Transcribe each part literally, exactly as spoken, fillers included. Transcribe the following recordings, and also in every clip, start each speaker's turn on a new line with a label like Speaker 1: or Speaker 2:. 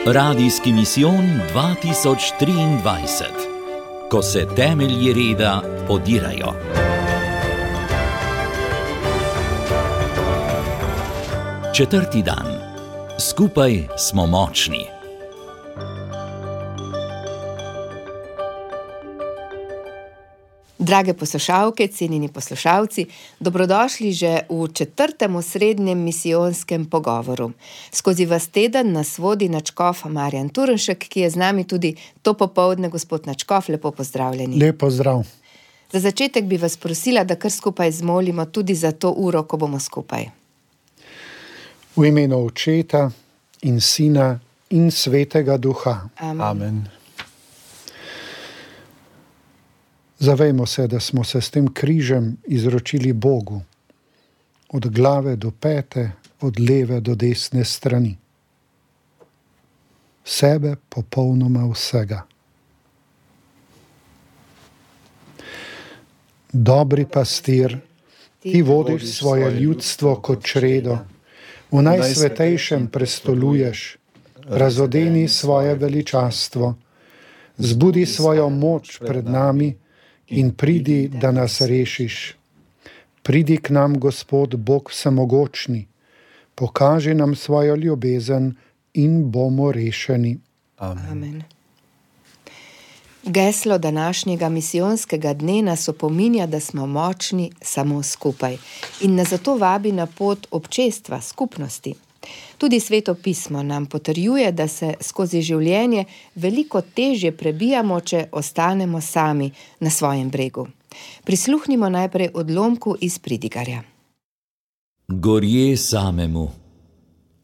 Speaker 1: Radijski misijon dva tisoč triindvajset. Ko se temelji reda podirajo. Četrti dan. Skupaj smo močni.
Speaker 2: Drage poslušalke, cenjeni poslušalci, dobrodošli že v četrtem osrednjem misijonskem pogovoru. Skozi vas teden nas vodi nadškof Marjan Turnšek, ki je z nami tudi to popoldne. Gospod nadškof, lepo pozdravljeni.
Speaker 3: Lep pozdrav.
Speaker 2: Za začetek bi vas prosila, da kar skupaj zmolimo tudi za to uro, ko bomo skupaj.
Speaker 3: V imenu Očeta in Sina in Svetega Duha.
Speaker 2: Amen.
Speaker 3: Amen. Zavejmo se, da smo se s tem križem izročili Bogu, od glave do pete, od leve do desne strani. Sebe popolnoma vsega. Dobri pastir, ti vodiš svoje ljudstvo kot čredo, v najsvetejšem prestoluješ, razodeni svoje veličastvo, zbudi svojo moč pred nami in pridi, da nas rešiš. Pridi k nam, Gospod Bog vsemogočni, pokaži nam svojo ljubezen in bomo rešeni.
Speaker 2: Amen. Amen. Geslo današnjega misijonskega dne nas opominja, da smo močni samo skupaj in nas zato vabi na pot občestva, skupnosti. Tudi Sveto pismo nam potrjuje, da se skozi življenje veliko težje prebijamo, če ostanemo sami na svojem bregu. Prisluhnimo najprej odlomku iz Pridigarja.
Speaker 1: Gorje samemu.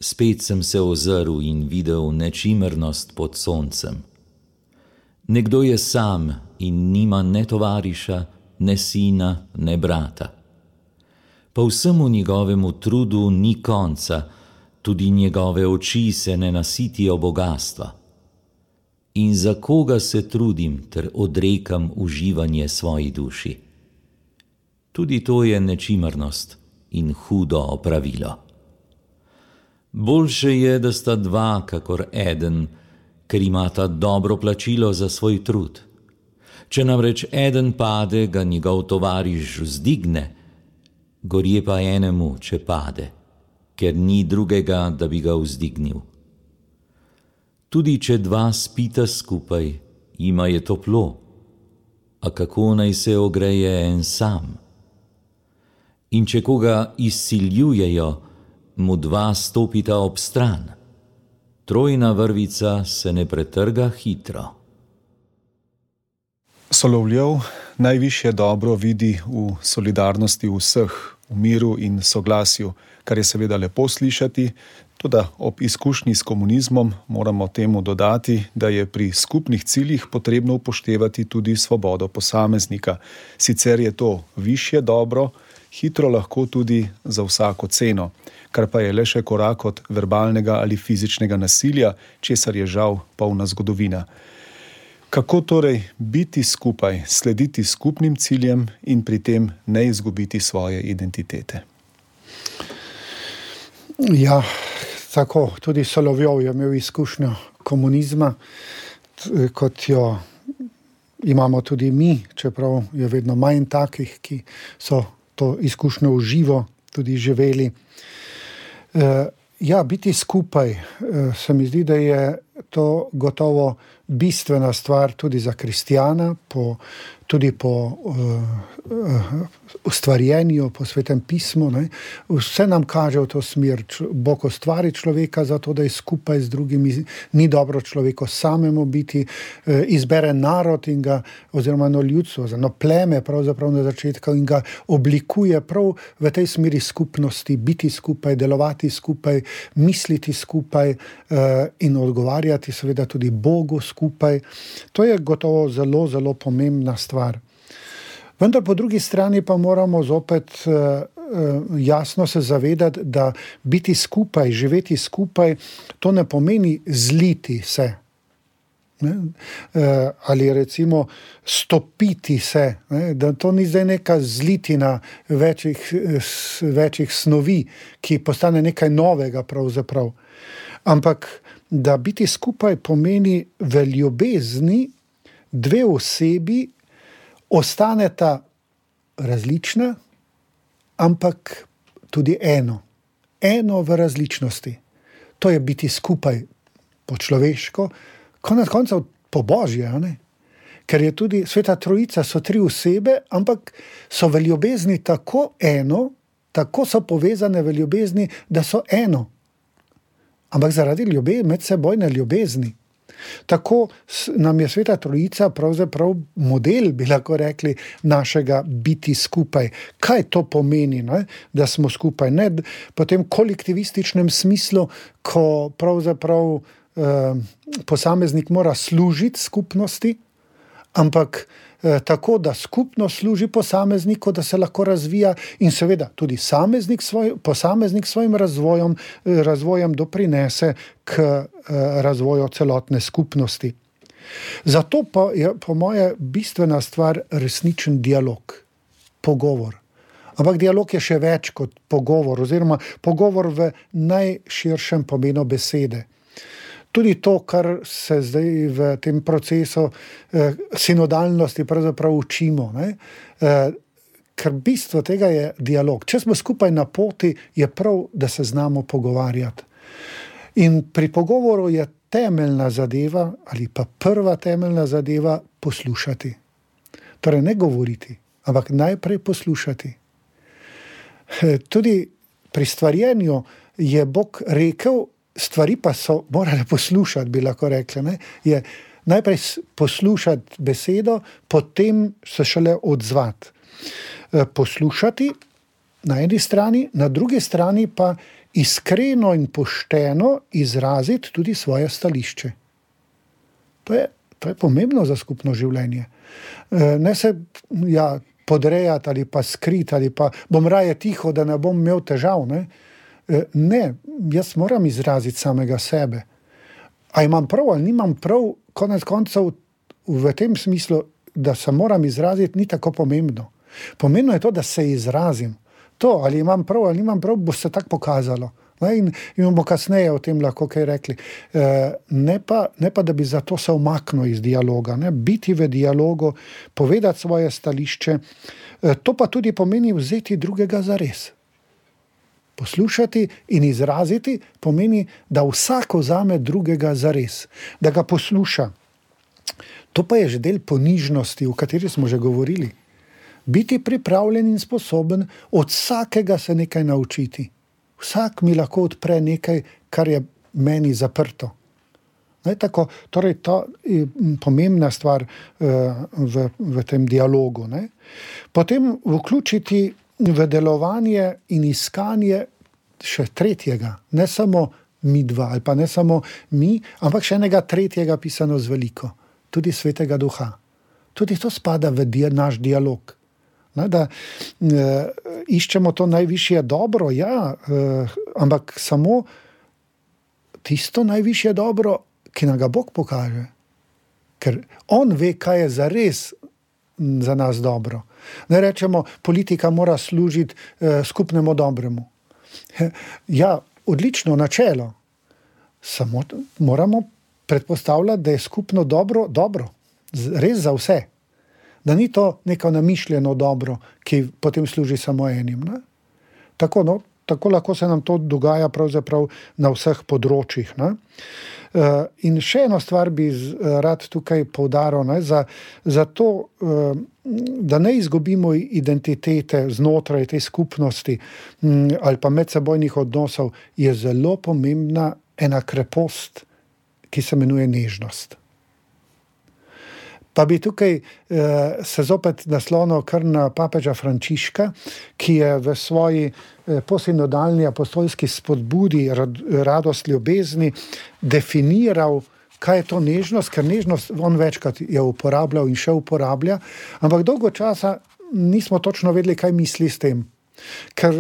Speaker 1: Spet sem se ozrl in videl nečimrnost pod soncem. Nekdo je sam in nima ne tovariša, ne sina, ne brata. Po vsemu njegovemu trudu ni konca, tudi njegove oči se ne nasitijo bogastva. In za koga se trudim ter odrekam uživanje svoji duši? Tudi to je nečimrnost in hudo opravilo. Boljše je, da sta dva kakor eden, ker imata dobro plačilo za svoj trud. Če namreč eden pade, ga njegov tovariš vzdigne, gorje pa enemu, če pade, ker ni drugega, da bi ga vzdignil. Tudi če dva spita skupaj, jima je toplo, a kako naj se ogreje en sam? In če koga izsiljujejo, mu dva stopita ob stran. Trojna vrvica se ne pretrga hitro.
Speaker 4: Solovjev najvišje dobro vidi v solidarnosti vseh, v miru in soglasju, kar je seveda lepo slišati, toda ob izkušnji s komunizmom moramo temu dodati, da je pri skupnih ciljih potrebno upoštevati tudi svobodo posameznika. Sicer je to višje dobro, hitro lahko tudi za vsako ceno, kar pa je le še korak od verbalnega ali fizičnega nasilja, česar je žal polna zgodovina. Kako torej biti skupaj, slediti skupnim ciljem in pri tem ne izgubiti svoje identitete?
Speaker 3: Ja, tako, tudi Solovjov je imel izkušnjo komunizma, kot jo imamo tudi mi, čeprav je vedno manj takih, ki so to izkušnjo v živo tudi živeli. Ja, biti skupaj, se mi zdi, da je to gotovo bistvena stvar tudi za kristjana, po, tudi po uh, ustvarjenju, po Svetem pismu. Ne. Vse nam kaže v to smer. Bog ustvari človeka zato, da je skupaj z drugimi. Ni dobro človeku samemu biti. Uh, izbere narod in ga, oziroma eno ljudstvo, eno pleme pravzaprav na začetku in ga oblikuje prav v tej smeri skupnosti, biti skupaj, delovati skupaj, misliti skupaj uh, in odgovarjati seveda tudi Bogu skupaj. To je gotovo zelo, zelo pomembna stvar. Vendar po drugi strani pa moramo zopet uh, uh, jasno se zavedati, da biti skupaj, živeti skupaj, to ne pomeni zliti se. Ne? Ali recimo stopiti se, ne? Da to ni zdaj neka zlitina večjih, večjih snovi, ki postane nekaj novega pravzaprav. Ampak da biti skupaj pomeni v ljubezni dve osebi ostaneta različna, ampak tudi eno. Eno v različnosti. To je biti skupaj po človeško, konec koncev po božje, ne? Ker je tudi Sveta Trojica, so tri osebe, ampak so v ljubezni tako eno, tako so povezane v ljubezni, da so eno. Ampak zaradi ljubezni, medsebojne ljubezni. Tako nam je Sveta Trojica pravzaprav model, bi lahko rekli, našega biti skupaj. Kaj to pomeni, ne? Da smo skupaj? Ne po tem kolektivističnem smislu, ko pravzaprav eh, posameznik mora služiti skupnosti, ampak eh, tako, da skupno služi posamezniku, da se lahko razvija in seveda tudi sameznik svoj, posameznik svojim razvojem, eh, razvojem doprinese k eh, razvoju celotne skupnosti. Zato pa je po moje bistvena stvar resničen dialog, pogovor. Ampak dialog je še več kot pogovor, oziroma pogovor v najširšem pomenu besede. Tudi to, kar se zdaj v tem procesu eh, sinodalnosti pravzaprav učimo, ne? Eh, ker bistvo tega je dialog. Če smo skupaj na poti, je prav, da se znamo pogovarjati. In pri pogovoru je temeljna zadeva, ali pa prva temeljna zadeva, poslušati. Torej ne govoriti, ampak najprej poslušati. Eh, tudi pri stvarjenju je Bog rekel, stvari pa so morale poslušati, bi lahko rekli, ne? Je najprej poslušati besedo, potem se šele odzvati. Poslušati na eni strani, na drugi strani pa iskreno in pošteno izraziti tudi svoje stališče. To je, to je pomembno za skupno življenje. Ne se ja, podrejati ali pa skriti, ali pa bom raje tiho, da ne bom imel težav, ne? Ne, jaz moram izraziti samega sebe. A imam prav ali nimam prav, konec koncev v tem smislu, da se moram izraziti, ni tako pomembno. Pomembno je to, da se izrazim. To, ali imam prav ali nimam prav, bo se tako pokazalo. In, in bomo kasneje o tem lahko kaj rekli. Ne pa, ne pa, da bi zato se umaknil iz dialoga. Ne? Biti v dialogu, povedati svoje stališče, to pa tudi pomeni vzeti drugega zares. Poslušati in izraziti pomeni, da vsak vzame drugega zares, da ga posluša. To pa je že del ponižnosti, o kateri smo že govorili. Biti pripravljen in sposoben od vsakega se nekaj naučiti. Vsak mi lahko odpre nekaj, kar je meni zaprto. Ne, tako, torej, to je pomembna stvar uh, v, v tem dialogu. Ne. Potem vključiti v delovanje in iskanje še tretjega, ne samo mi dva, ali pa ne samo mi, ampak še enega tretjega pisano z veliko, tudi Svetega Duha. Tudi to spada v dia, naš dialog. Ne, da e, iščemo to najvišje dobro, ja, e, ampak samo tisto najvišje dobro, ki nam ga Bog pokaže. Ker on ve, kaj je zares za nas dobro. Ne rečemo, politika mora služiti eh, skupnemu dobremu. Ja, odlično načelo. Samo moramo predpostavljati, da je skupno dobro dobro. Res za vse. Da ni to neko namišljeno dobro, ki potem služi samo enim. Ne? Tako, no, tako lahko se nam to dogaja pravzaprav na vseh področjih. Ne? Uh, in še eno stvar bi z, uh, rad tukaj poudaril, ne, za, za to, uh, da ne izgubimo identitete znotraj te skupnosti um, ali pa medsebojnih odnosov, je zelo pomembna ena krepost, ki se imenuje nežnost. Pa bi tukaj eh, se zopet naslonil kar na papeža Frančiška, ki je v svoji eh, posinodalni apostolski spodbudi rad, radost ljubezni definiral, kaj je to nežnost, ker nežnost on večkrat je uporabljal in še uporablja, ampak dolgo časa nismo točno vedeli, kaj misli s tem. Ker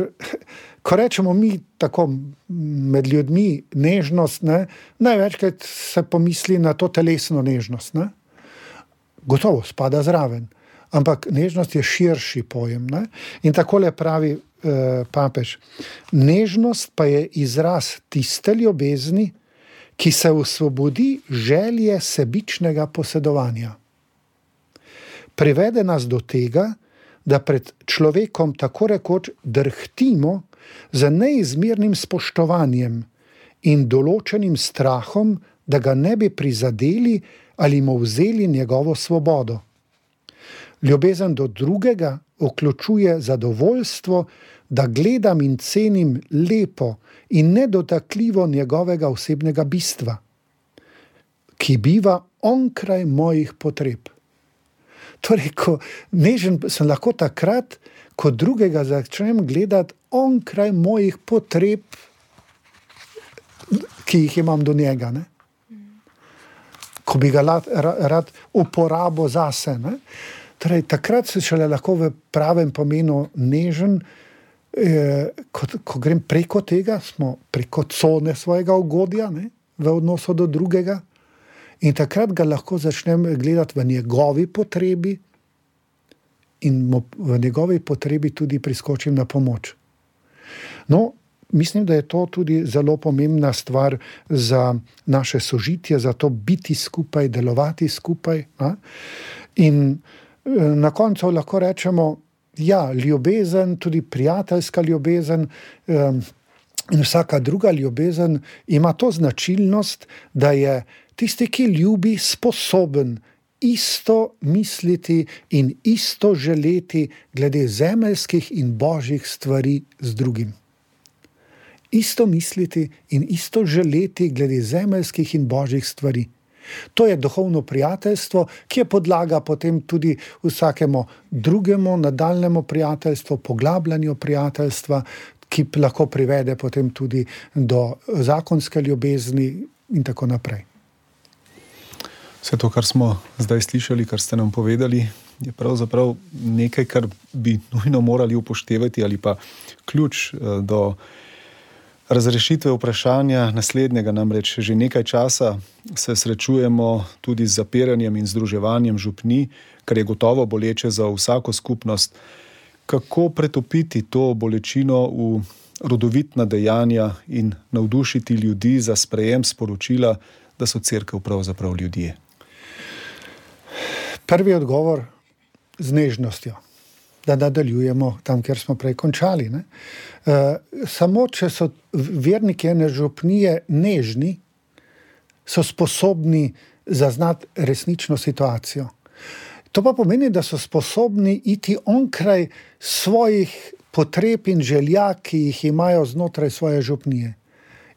Speaker 3: ko rečemo mi tako med ljudmi nežnost, ne, največkrat se pomisli na to telesno nežnost. Ne. Gotovo spada zraven, ampak nežnost je širši pojem. Ne. In takole pravi eh, papež, nežnost pa je izraz tiste ljubezni, ki se osvobodi želje sebičnega posedovanja. Privede nas do tega, da pred človekom tako rekoč drhtimo za neizmernim spoštovanjem in določenim strahom, da ga ne bi prizadeli ali mu vzeli njegovo svobodo. Ljubezen do drugega vključuje zadovoljstvo, da gledam in cenim lepo in nedotakljivo njegovega osebnega bistva, ki biva onkraj mojih potreb. Torej, ko nežen sem lahko takrat, ko drugega začnem gledati onkraj mojih potreb, ki jih imam do njega. Ne? Ko bi ga rad, rad uporabo zase. Ne? Torej, takrat se šele lahko v pravem pomenu nežen, eh, ko, ko grem preko tega, smo preko cone svojega ugodja, ne? V odnosu do drugega. In takrat ga lahko začnem gledati v njegovi potrebi in mu v njegovi potrebi tudi priskočim na pomoč. No, mislim, da je to tudi zelo pomembna stvar za naše sožitje, za to biti skupaj, delovati skupaj. A? In na koncu lahko rečemo, ja, ljubezen, tudi prijateljska ljubezen, um, in vsaka druga ljubezen ima to značilnost, da je tisti, ki ljubi, sposoben isto misliti in isto želeti glede zemeljskih in božjih stvari z drugim. Isto misliti in isto želeti glede zemeljskih in božjih stvari. To je duhovno prijateljstvo, ki je podlaga potem tudi vsakemu drugemu nadaljnemu prijateljstvu, poglabljanju prijateljstva, ki lahko privede potem tudi do zakonske ljubezni in tako naprej.
Speaker 4: Vse to, kar smo zdaj slišali, kar ste nam povedali, je pravzaprav nekaj, kar bi nujno morali upoštevati ali pa ključ do razrešitve vprašanja naslednjega. Namreč že nekaj časa se srečujemo tudi z zapiranjem in združevanjem župni, kar je gotovo boleče za vsako skupnost. Kako pretopiti to bolečino v rodovitna dejanja in navdušiti ljudi za sprejem sporočila, da so cerkev pravzaprav ljudje?
Speaker 3: Prvi odgovor z nežnostjo, da nadaljujemo tam, kjer smo prej končali. Ne? E, samo, če so verniki ene župnije nežni, so sposobni zaznati resnično situacijo. To pa pomeni, da so sposobni iti onkraj svojih potreb in želja, ki jih imajo znotraj svoje župnije.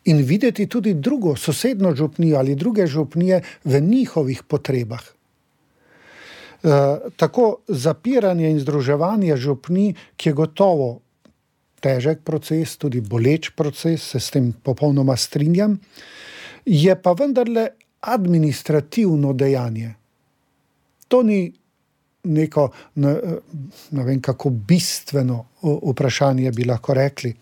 Speaker 3: In videti tudi drugo, sosedno župnijo ali druge župnije v njihovih potrebah. E, tako zapiranje in združevanje župni, ki je gotovo težek proces, tudi boleč proces, se s tem popolnoma strinjam, je pa vendarle administrativno dejanje. To ni neko, ne, ne vem kako bistveno vprašanje bi lahko rekli.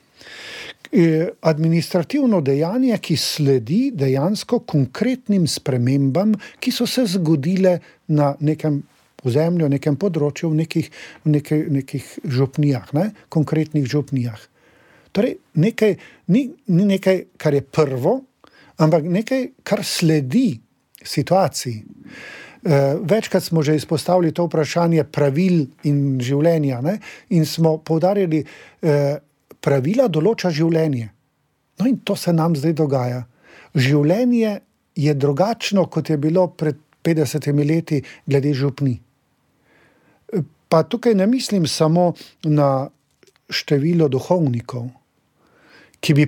Speaker 3: Administrativno dejanje, ki sledi dejansko konkretnim spremembam, ki so se zgodile na nekem ozemlju, nekem področju, v nekih, v nekaj, nekih župnijah, ne? Konkretnih župnijah. Torej, nekaj, ni, ni nekaj, kar je prvo, ampak nekaj, kar sledi situaciji. Večkrat smo že izpostavili to vprašanje pravil in življenja, ne? In smo poudarjali, pravila določa življenje. No in to se nam zdaj dogaja. Življenje je drugačno, kot je bilo pred petdesetimi leti glede župni. Pa tukaj ne mislim samo na število duhovnikov, ki bi,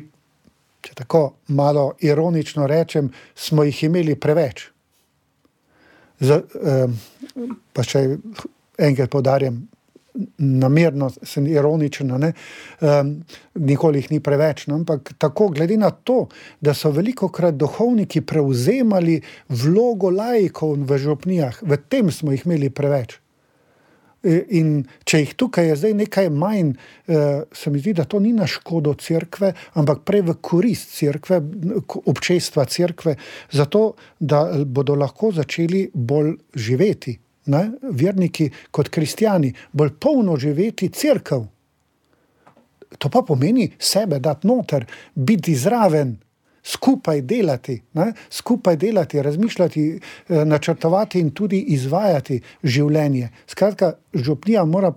Speaker 3: če tako malo ironično rečem, smo jih imeli preveč. Z, eh, pa še enkrat poudarjam, namerno sem ironičen, ne? Um, nikoli jih ni preveč, no? Ampak tako glede na to, da so velikokrat duhovniki prevzemali vlogo laikov v župnijah, v tem smo jih imeli preveč. In če jih tukaj je zdaj nekaj manj, se mi zdi, da to ni na škodo cerkve, ampak prej v korist cerkve, občestva cerkve, zato, da bodo lahko začeli bolj živeti, ne? Verniki kot kristjani, bolj polno živeti cerkev. To pa pomeni sebe dati noter, biti zraven, skupaj delati, ne? Skupaj delati, razmišljati, načrtovati in tudi izvajati življenje. Skratka, župnija mora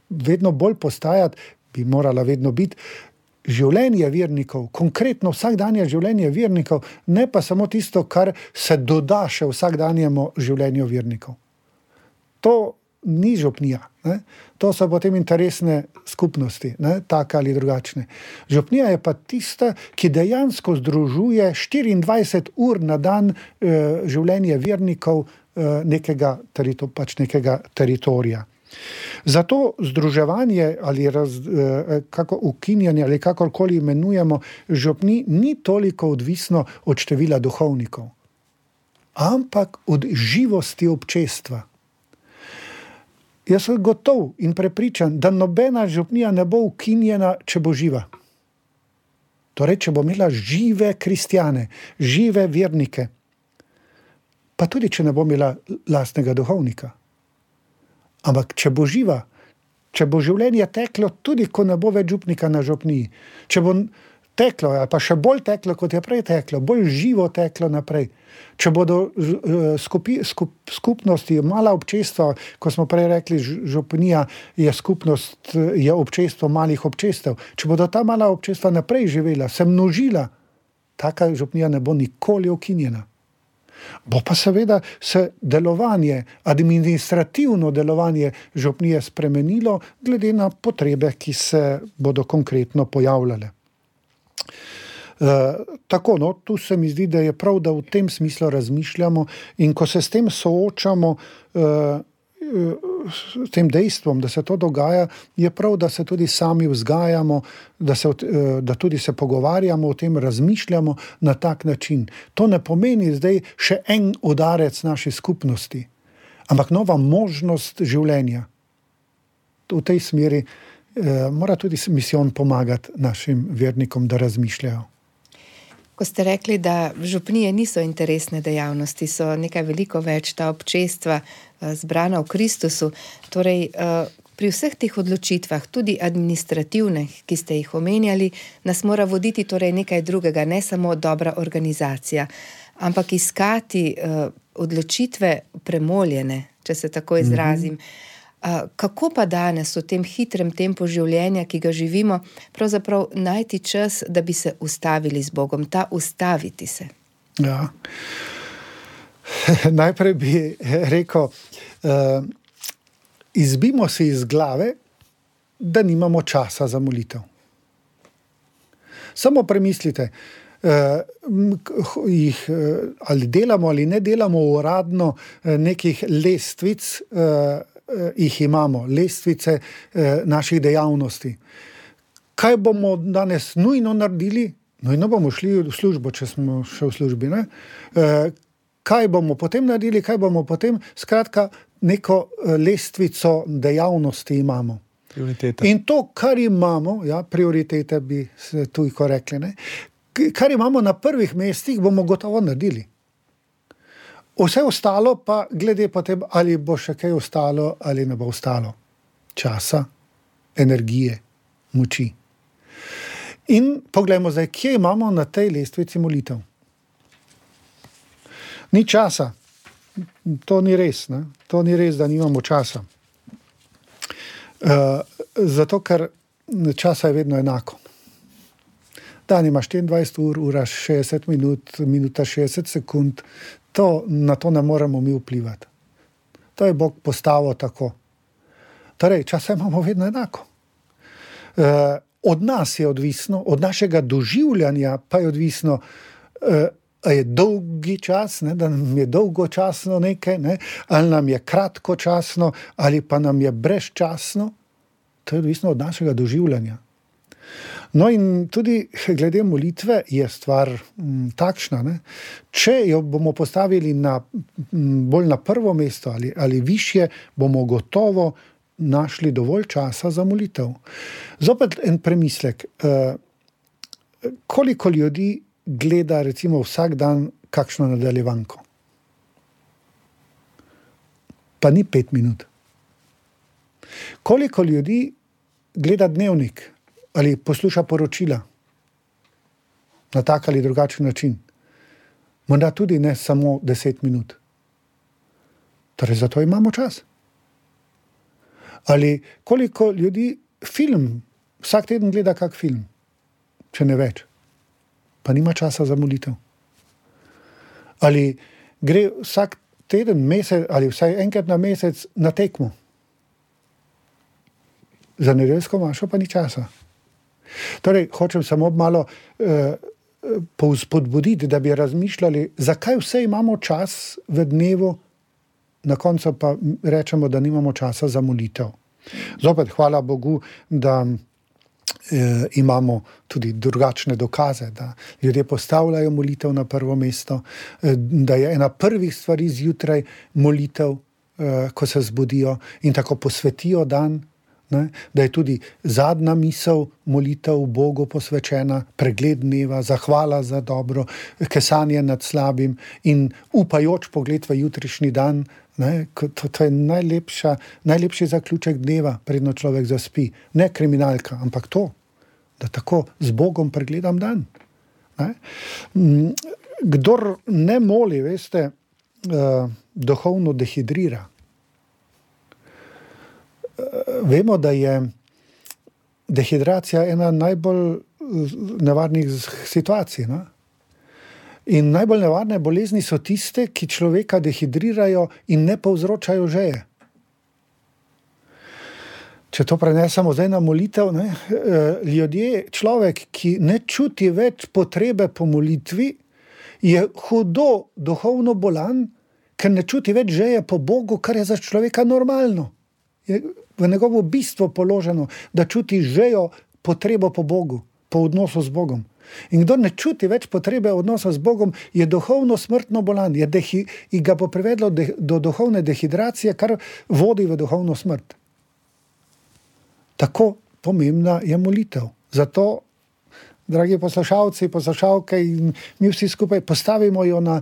Speaker 3: vedno bolj postajati, bi morala vedno biti življenje vernikov, konkretno vsakdanje življenje vernikov, ne pa samo tisto, kar se doda še vsakdanjemu življenju vernikov. To ni župnija, ne? To so potem interesne skupnosti, ne? Take ali drugačne. Župnija je pa tista, ki dejansko združuje štiriindvajset ur na dan eh, življenje vernikov eh, nekega, terito, pač nekega teritorija. Zato združevanje ali raz, eh, kako ukinjanje ali kakorkoli imenujemo župni ni toliko odvisno od števila duhovnikov, ampak od živosti občestva. Jaz sem gotov in prepričan, da nobena župnija ne bo ukinjena, če bo živa. Torej, če bo imela žive kristjane, žive vernike, pa tudi, če ne bo imela lastnega duhovnika. Ampak, če bo živa, če bo življenje teklo, tudi ko ne bo več župnika na župniji, če bo teklo, ali pa še bolj teklo, kot je prej teklo, bolj živo teklo naprej. Če bodo skupi, skup, skupnosti, mala občestva, ko smo prej rekli, župnija je skupnost, je občestvo malih občestev, če bodo ta mala občestva naprej živela, se množila, taka župnija ne bo nikoli ukinjena. Bo pa seveda se delovanje, administrativno delovanje župnije spremenilo, glede na potrebe, ki se bodo konkretno pojavljale. Uh, tako, no, tu se mi zdi, da je prav, da v tem smislu razmišljamo in ko se s tem soočamo, uh, uh, s tem dejstvom, da se to dogaja, je prav, da se tudi sami vzgajamo, da, se, uh, da tudi se pogovarjamo o tem, razmišljamo na tak način. To ne pomeni zdaj še en udarec naši skupnosti, ampak nova možnost življenja. V tej smeri uh, mora tudi misijon pomagati našim vernikom, da razmišljajo.
Speaker 2: Ko ste rekli, da župnije niso interesne dejavnosti, so nekaj veliko več ta občestva zbrana v Kristusu. Torej, pri vseh teh odločitvah, tudi administrativnih, ki ste jih omenjali, nas mora voditi torej nekaj drugega, ne samo dobra organizacija, ampak iskati odločitve premoljene, če se tako izrazim. Mm-hmm. Kako pa danes v tem hitrem tempu življenja, ki ga živimo, pravzaprav najti čas, da bi se ustavili z Bogom, ta ustaviti se?
Speaker 3: Ja. Najprej bi rekel, uh, izbimo si iz glave, da nimamo časa za molitev. Samo premislite, uh, jih, uh, ali delamo ali ne delamo uradno uh, nekih lestvic, uh, jih imamo, lestvice eh, naših dejavnosti. Kaj bomo danes nujno naredili? Nujno bomo šli v službo, če smo še v službi. Ne? Eh, kaj bomo potem naredili? Kaj bomo potem? Skratka, neko lestvico dejavnosti imamo.
Speaker 4: Prioritete.
Speaker 3: In to, kar imamo, ja, prioritete bi se tujko rekli, ne? Kar imamo na prvih mestih, bomo gotovo naredili. Vse ostalo pa glede potem, ali bo še kaj ostalo ali ne bo ostalo. Časa, energije, moči. In poglejmo zdaj, kje imamo na tej lestvici molitev. Ni časa. To ni res, ne? To ni res, da nimamo časa. Uh, zato, ker časa je vedno enako. Dan ima štiriindvajset ur, ura šestdeset minut, minuta šestdeset sekund. To, na to ne moremo mi vplivati. To je Bog postavil tako. Torej, časa imamo vedno enako. E, od nas je odvisno, od našega doživljanja pa je odvisno, e, je dolgi čas, ne, da nam je dolgočasno nekaj, ne, ali nam je kratkočasno, ali pa nam je brezčasno. To je odvisno od našega doživljanja. No in tudi glede molitve je stvar m, takšna, ne? Če jo bomo postavili na, m, bolj na prvo mesto ali, ali višje, bomo gotovo našli dovolj časa za molitev. Zopet en premislek. Koliko ljudi gleda recimo vsak dan kakšno nadaljevanko? Pa ni pet minut. Koliko ljudi gleda dnevnik ali posluša poročila na tak ali drugačen način? Morda tudi ne samo deset minut. Torej, zato imamo čas. Ali koliko ljudi film, vsak teden gleda kak film, če ne več, pa nima časa za molitev. Ali gre vsak teden, mesec ali vsaj enkrat na mesec na tekmo. Za nedeljsko mašo pa ni časa. Torej, hočem samo malo eh, povzpodbuditi, da bi razmišljali, zakaj vse imamo čas v dnevu, na koncu pa rečemo, da nimamo časa za molitev. Zopet, hvala Bogu, da eh, imamo tudi drugačne dokaze, da ljudje postavljajo molitev na prvo mesto, eh, da je ena prvih stvari zjutraj molitev, eh, ko se zbudijo in tako posvetijo dan, ne, da je tudi zadnja misel molitev Bogu posvečena, pregled dneva, zahvala za dobro, kesanje nad slabim in upajoč pogled v jutrišnji dan. Ne, to, to je najlepša, najlepši zaključek dneva, predno človek zaspi. Ne kriminalka, ampak to, da tako z Bogom pregledam dan. Ne. Kdor ne moli, veste, uh, duhovno dehidrira. Vemo, da je dehidracija ena najbolj nevarnih situacij. Ne? In najbolj nevarne bolezni so tiste, ki človeka dehidrirajo in ne povzročajo žeje. Če to prenesemo zdaj na molitev, ne? Ljudje, človek, ki ne čuti več potrebe po molitvi, je hudo duhovno bolan, ker ne čuti več žeje po Bogu, kar je za človeka normalno. Je v njegovo bistvo položeno, da čuti žejo, potrebo po Bogu, po odnosu z Bogom. In kdo ne čuti več potrebe odnosa z Bogom, je duhovno smrtno bolan, je dehi, in ga bo privedlo de, do duhovne dehidracije, kar vodi v duhovno smrt. Tako pomembna je molitev. Zato, dragi poslušalci, poslušalke in mi vsi skupaj postavimo jo na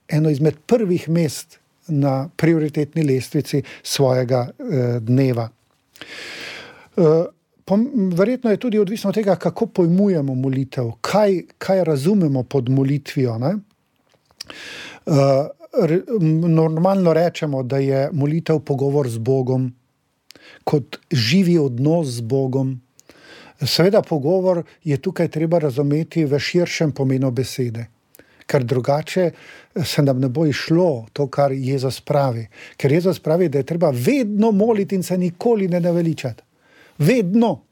Speaker 3: eno izmed prvih mest na prioritetni lestvici svojega eh, dneva. Eh, pom, verjetno je tudi odvisno od tega, kako pojmujemo molitev, kaj, kaj razumemo pod molitvijo. Ne? Eh, re, normalno rečemo, da je molitev pogovor z Bogom, kot živi odnos z Bogom. Seveda pogovor je tukaj treba razumeti v širšem pomenu besede. Ker drugače se nam ne bo išlo to, kar Jezus pravi. Ker Jezus pravi, da je treba vedno moliti in se nikoli ne naveličati. Vedno.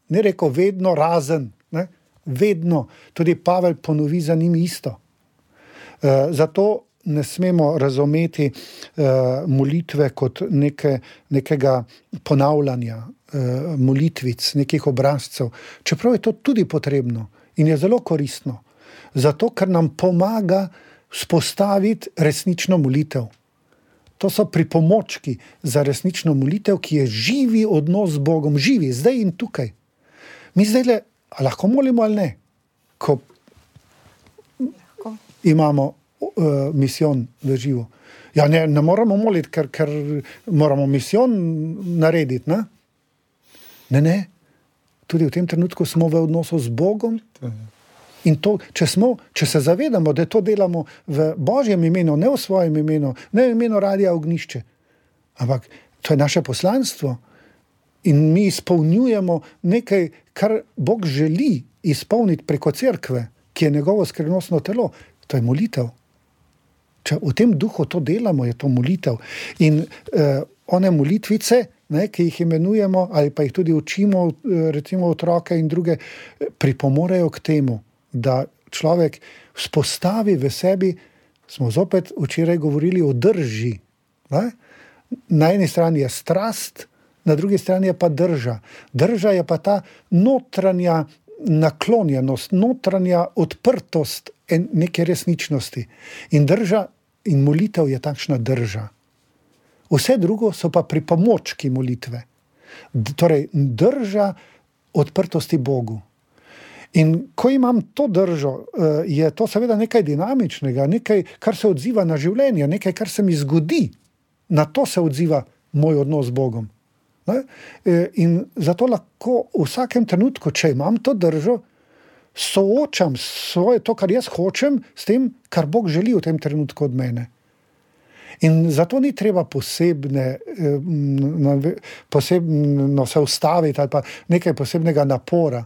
Speaker 3: Ne rekel vedno razen. Ne? Vedno. Tudi Pavel ponovi za njim isto. Uh, zato ne smemo razumeti uh, molitve kot neke, nekega ponavljanja uh, molitvic, nekih obrazcev. Čeprav je to tudi potrebno in je zelo koristno. Zato, ker nam pomaga vzpostaviti resnično molitev. To so pripomočki za resnično molitev, ki je živi odnos z Bogom, živi, zdaj in tukaj. Mi zdaj le, lahko molimo ali ne, ko lahko imamo uh, misijon v živo. Ja, ne, ne moramo moliti, ker, ker moramo misijon narediti, ne? Ne, ne. Tudi v tem trenutku smo v odnosu z Bogom. In to, če, smo, če se zavedamo, da to delamo v Božjem imenu, ne v svojem imenu, ne v imenu Radia Ognjišče, ampak to je naše poslanstvo in mi izpolnjujemo nekaj, kar Bog želi izpolniti preko cerkve, ki je njegovo skrivnostno telo, to je molitev. Če v tem duhu to delamo, je to molitev. In eh, one molitvice, ne, ki jih imenujemo ali pa jih tudi učimo, recimo otroke in druge, pripomorejo k temu, da človek vzpostavi v sebi, smo zopet včeraj govorili o drži. Ne? Na eni strani je strast, na drugi strani je pa drža. Drža je pa ta notranja naklonjenost, notranja odprtost neke resničnosti. In drža in molitev je takšna drža. Vse drugo so pa pripomočki molitve. Torej, drža odprtosti Bogu. In ko imam to držo, je to seveda nekaj dinamičnega, nekaj, kar se odziva na življenje, nekaj, kar se mi zgodi. Na to se odziva moj odnos z Bogom. Ne? In zato lahko v vsakem trenutku, če imam to držo, soočam svoje, to, kar jaz hočem, s tem, kar Bog želi v tem trenutku od mene. In zato ni treba posebne, posebno se ustaviti ali pa nekaj posebnega napora.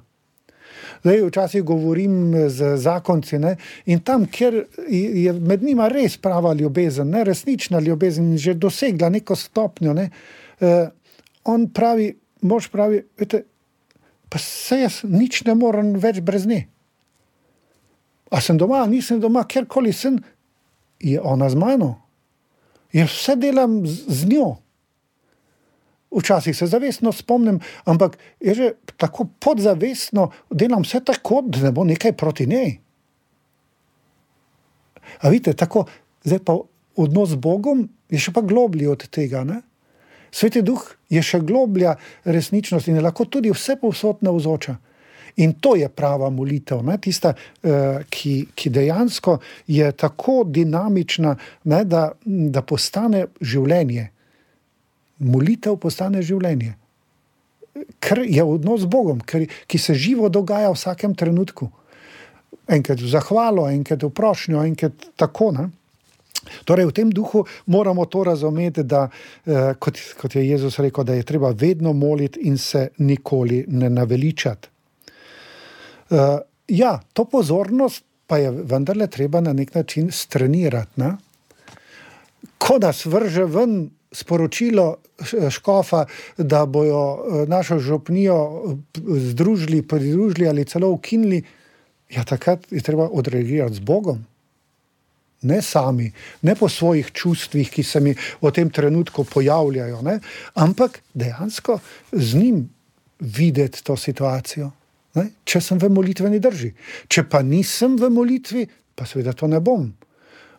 Speaker 3: Zdaj, včasih govorim z zakonci, ne, in tam, kjer je med njima res prava ljubezen, ne, resnična ljubezen, že dosegla neko stopnjo, ne, eh, on pravi, mož pravi, vete, pa se jaz nič ne morem več brez nje. A sem doma, nisem doma, kjerkoli sem, je ona z mano. Jaz vse delam z, z njo. Včasih se zavestno spomnim, ampak je že tako podzavestno, delam vse tako, da ne bo nekaj proti njej. A vidite, tako, zdaj pa odnos z Bogom je še pa globlji od tega, ne? Sveti Duh je še globlja resničnost in je lahko tudi vse povsod navzoča. In to je prava molitev, ne? Tista, ki, ki dejansko je tako dinamična, ne? Da, da postane življenje. Molitev postane življenje. Ker je odnos z Bogom, ker, ki se živo dogaja v vsakem trenutku. Enkrat v zahvalo, enkrat v prošnjo, enkrat tako, ne? Torej, v tem duhu moramo to razumeti, da, eh, kot, kot je Jezus rekel, da je treba vedno moliti in se nikoli ne naveličati. Uh, ja, to pozornost pa je vendarle treba na nek način strenirati, ne? Ko nas vrže ven sporočilo škofa, da bojo našo župnijo združili, pridružili ali celo ukinili, ja, takrat je treba odreagirati z Bogom. Ne sami, ne po svojih čustvih, ki se mi v tem trenutku pojavljajo, ne? Ampak dejansko z njim videti to situacijo. Ne? Če sem v molitveni drži. Če pa nisem v molitvi, pa seveda to ne bom.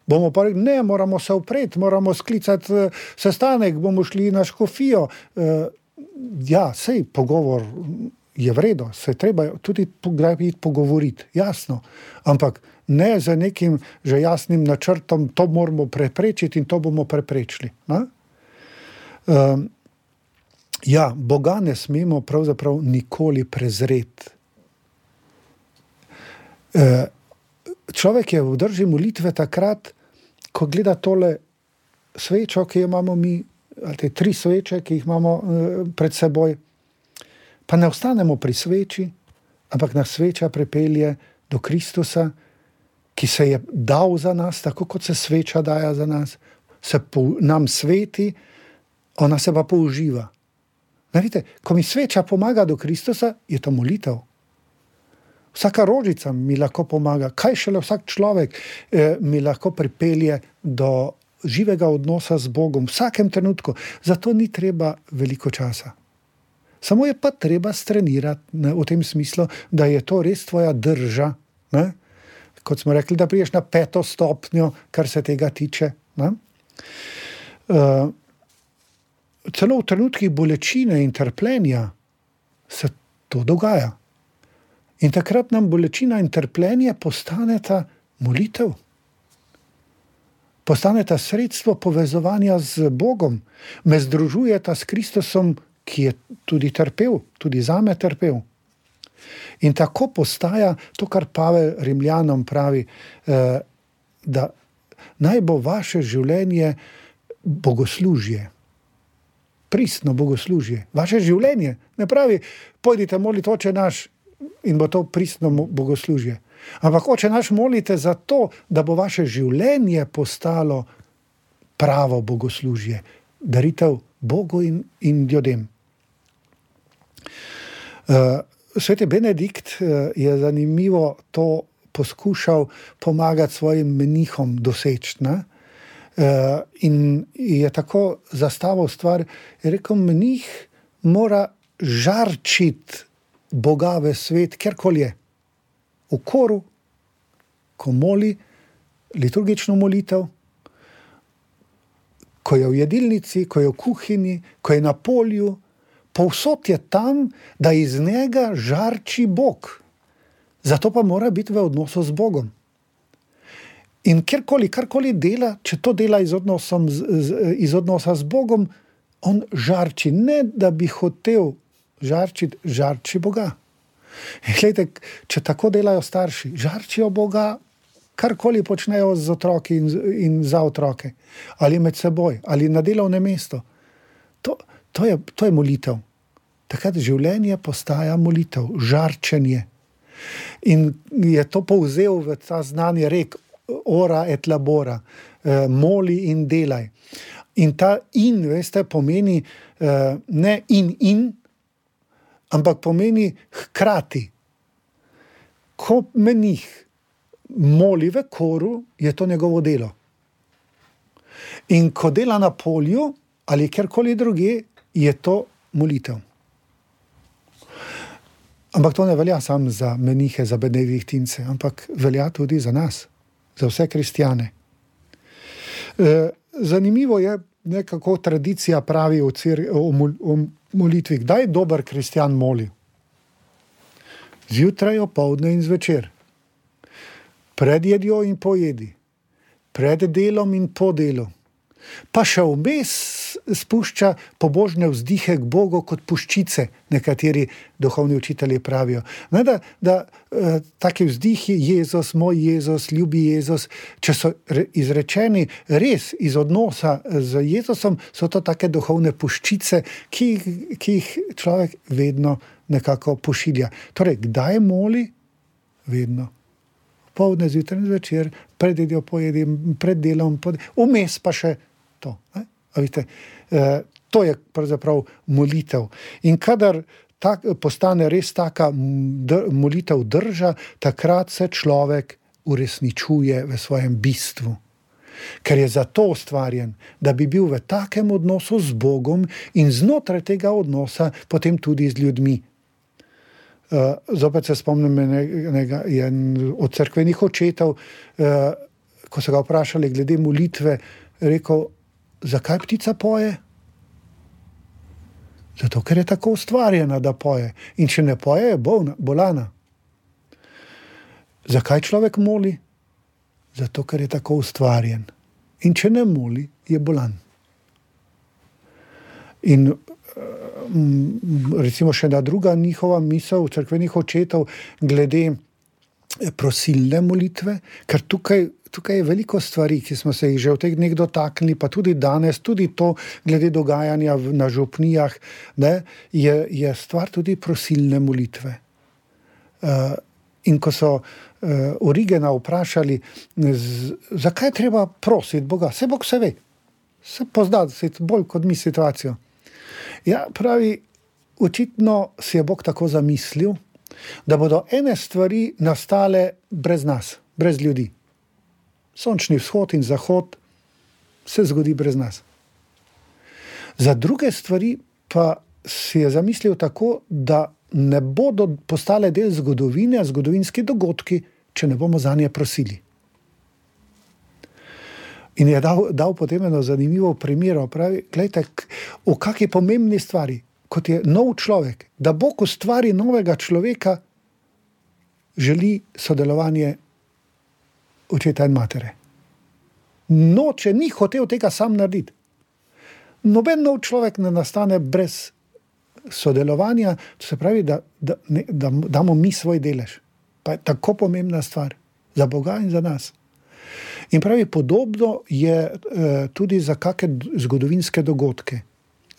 Speaker 3: Bomo pa rekli, ne, moramo se upreti, moramo sklicati uh, sestanek, bomo šli na škofijo. Uh, ja, sej, pogovor je vredo, se treba tudi pogovoriti, jasno. Ampak ne za nekim že jasnim načrtom, to moramo preprečiti in to bomo preprečili. Uh, ja, Boga ne smemo pravzaprav nikoli prezreti. Uh, človek je v drži molitve takrat, ko gleda tole svečo, ki jo imamo mi, ali te tri sveče, ki jih imamo uh, pred seboj, pa ne ostanemo pri sveči, ampak nas sveča pripelje do Kristusa, ki se je dal za nas, tako kot se sveča daja za nas, se po, nam sveti, ona se pa použiva. Ne, vidite, ko mi sveča pomaga do Kristusa, je to molitev. Vsaka rožica mi lahko pomaga, kaj šele vsak človek eh, mi lahko pripelje do živega odnosa z Bogom v vsakem trenutku. Zato ni treba veliko časa. Samo je pa treba strenirati, ne, v tem smislu, da je to res tvoja drža. Ne? Kot smo rekli, da priješ na peto stopnjo, kar se tega tiče. Ne? Uh, celo v trenutkih bolečine in trpljenja se to dogaja. In takrat nam bolečina in trpljenje postaneta molitev. Postaneta sredstvo povezovanja z Bogom. Me združujeta s Kristusom, ki je tudi trpel, tudi zame trpel. In tako postaja to, kar Pavel Rimljanom pravi, eh, da naj bo vaše življenje bogoslužje. Pristno bogoslužje. Vaše življenje. Ne pravi, pojdite moliti Oče naš, in bo to pristno bogoslužje. Ampak Oče naš molite za to, da bo vaše življenje postalo pravo bogoslužje. Daritev Bogu in, in ljudem. Uh, Sveti Benedikt uh, je zanimivo to poskušal pomagati svojim menihom doseči. Ne? Uh, in je tako zastavil stvar, je rekel, menih mora žarčiti Boga v svet, kjerkoli je. V koru, ko moli liturgično molitev, ko je v jedilnici, ko je v kuhinji, ko je na polju, povsod je tam, da iz njega žarči Bog. Zato pa mora biti v odnosu z Bogom. In kjerkoli, karkoli dela, če to dela iz, odnosom, z, iz odnosa z Bogom, on žarči. Ne, da bi hotel žarčiti, žarči Boga. In gledajte, če tako delajo starši, žarčijo Boga, karkoli počnejo z otroki in, in za otroke. Ali med seboj, ali na delovnem mestu. To, to, je, to je molitev. Takrat življenje postaja molitev, žarčenje. In je to povzel v ta znani rek, ora et labora, eh, moli in delaj. In ta in, veste, pomeni eh, ne in in, ampak pomeni hkrati. Ko menih moli v koru, je to njegovo delo. In ko dela na polju ali kjerkoli druge, je to molitev. Ampak to ne velja samo za menihe, za benediktince, ampak velja tudi za nas, za vse kristjane. E, zanimivo je, nekako tradicija pravi o, cir, o, o molitvi. Kdaj dober kristjan moli? Zjutraj, opoldne in zvečer. Pred jedjo in po jedi. Pred delom in po delu. Pa še vmes spušča pobožne vzdihe k Bogu kot puščice, nekateri duhovni učitelji pravijo. Ne, da, da eh, taki vzdihi, Jezus, moj Jezus, ljubi Jezus, če so re, izrečeni res iz odnosa z Jezusom, so to take duhovne puščice, ki, ki jih človek vedno nekako pošilja. Torej, kdaj moli? Vedno. Poldne, zjutraj in zvečer, pred jedjo, po jedi, pred delom, vmes pa še to. Ne? A vidite, eh, to je pravzaprav molitev. In kadar tak, postane res taka dr, molitev drža, takrat se človek uresničuje v svojem bistvu. Ker je zato ustvarjen, da bi bil v takem odnosu z Bogom in znotraj tega odnosa potem tudi z ljudmi. Uh, zopet se spomnim enega, en od cerkvenih očetov, uh, ko so ga vprašali glede molitve, rekel, zakaj ptica poje? Zato, ker je tako ustvarjena, da poje. In če ne poje, je bolna, bolana. Zakaj človek moli? Zato, ker je tako ustvarjen. In če ne moli, je bolan. In recimo še ena druga njihova misel cerkvenih očetov glede prosilne molitve, ker tukaj, tukaj je veliko stvari, ki smo se jih že v teh dneh dotaknili, pa tudi danes, tudi to glede dogajanja na župnijah, ne, je, je stvar tudi prosilne molitve. Uh, in ko so uh, Origena vprašali, z, zakaj treba prositi Boga? Se Bog se ve, se pozna bolj kot mi situacijo. Ja, pravi, očitno si je Bog tako zamislil, da bodo ene stvari nastale brez nas, brez ljudi. Sončni vzhod in zahod se zgodi brez nas. Za druge stvari pa si je zamislil tako, da ne bodo postale del zgodovine, zgodovinski dogodki, če ne bomo zanje prosili. In je dal, dal potem eno zanimivo primero, pravi, gledajte, v kakšni pomembni stvari, kot je nov človek, da Bog ustvari novega človeka, želi sodelovanje očeta in matere. Noče, ni hotel tega sam narediti. Noben nov človek ne nastane brez sodelovanja, to se pravi, da, da, ne, da damo mi svoj delež. Pa je tako pomembna stvar za Boga in za nas. In pravi, podobno je eh, tudi za kakšne zgodovinske dogodke.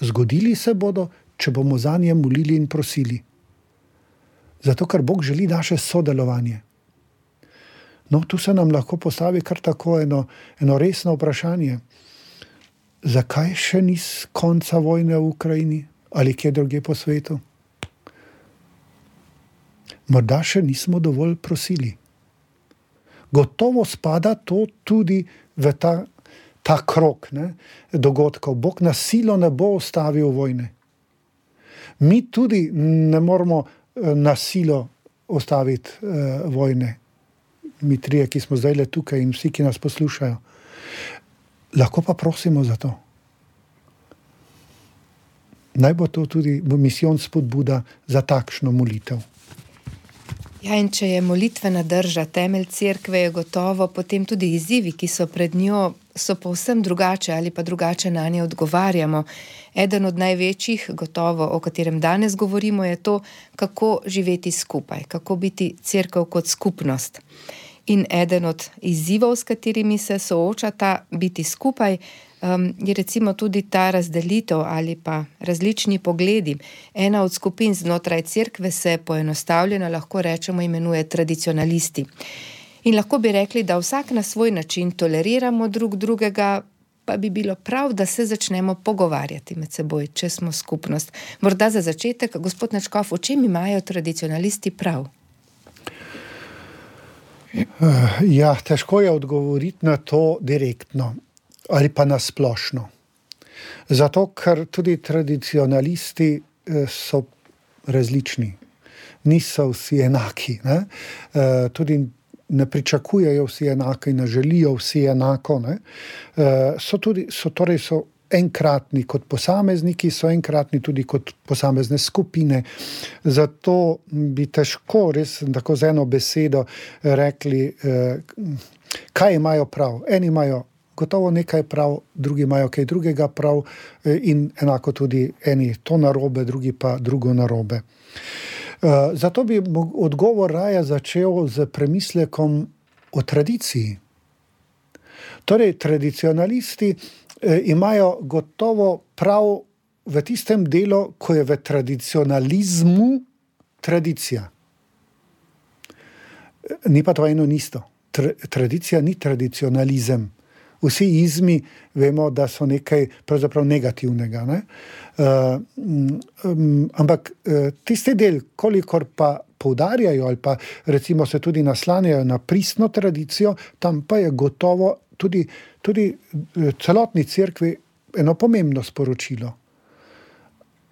Speaker 3: Zgodili se bodo, če bomo zanje molili in prosili. Zato, ker Bog želi naše sodelovanje. No, tu se nam lahko postavi kar tako eno, eno resno vprašanje. Zakaj še ni konca vojne v Ukrajini ali kje druge po svetu? Morda še nismo dovolj prosili. Gotovo spada to tudi v ta, ta krog, ne, dogodkov. Bog na silo ne bo ustavil vojne. Mi tudi ne moramo na silo ustaviti uh, vojne. Mi trije, ki smo zdaj le tukaj in vsi, ki nas poslušajo. Lahko pa prosimo za to. naj bo to tudi misijon spodbuda za takšno molitev.
Speaker 2: Ja, in če je molitvena drža temelj cerkve, je gotovo potem tudi izzivi, ki so pred njo, so povsem drugače ali pa drugače na nje odgovarjamo. Eden od največjih, gotovo, o katerem danes govorimo, je to, kako živeti skupaj, kako biti cerkev kot skupnost. In eden od izzivov, s katerimi se soočata biti skupaj, um, je recimo tudi ta razdelitev ali pa različni pogledi. Ena od skupin znotraj cerkve se poenostavljeno lahko rečemo imenuje tradicionalisti. In lahko bi rekli, da vsak na svoj način toleriramo drug drugega, pa bi bilo prav, da se začnemo pogovarjati med seboj, če smo skupnost. Morda za začetek, gospod Nadškof, v čem imajo tradicionalisti prav?
Speaker 3: Ja, težko je odgovoriti na to direktno ali pa na splošno. Zato, ker tudi tradicionalisti so različni. Niso vsi enaki. Ne? Tudi ne pričakujejo vsi enako in ne želijo vsi enako. Ne? So tudi, so, torej so enkratni kot posamezniki, so enkratni tudi kot posamezne skupine. Zato bi težko res tako z eno besedo rekli, kaj imajo prav. Eni imajo gotovo nekaj prav, drugi imajo kaj drugega prav in enako tudi eni to narobe, drugi pa drugo narobe. Zato bi odgovor raje začel z premislekom o tradiciji. Torej, tradicionalisti imajo gotovo prav v tistem delu, ko je v tradicionalizmu tradicija. Ni pa to eno isto. Tradicija ni tradicionalizem. Vsi izmi vemo, da so nekaj pravzaprav negativnega. Ne? Uh, um, ampak uh, tisti del, kolikor pa poudarjajo ali pa recimo se tudi naslanjajo na pristno tradicijo, tam pa je gotovo tudi, tudi celotni cerkvi eno pomembno sporočilo.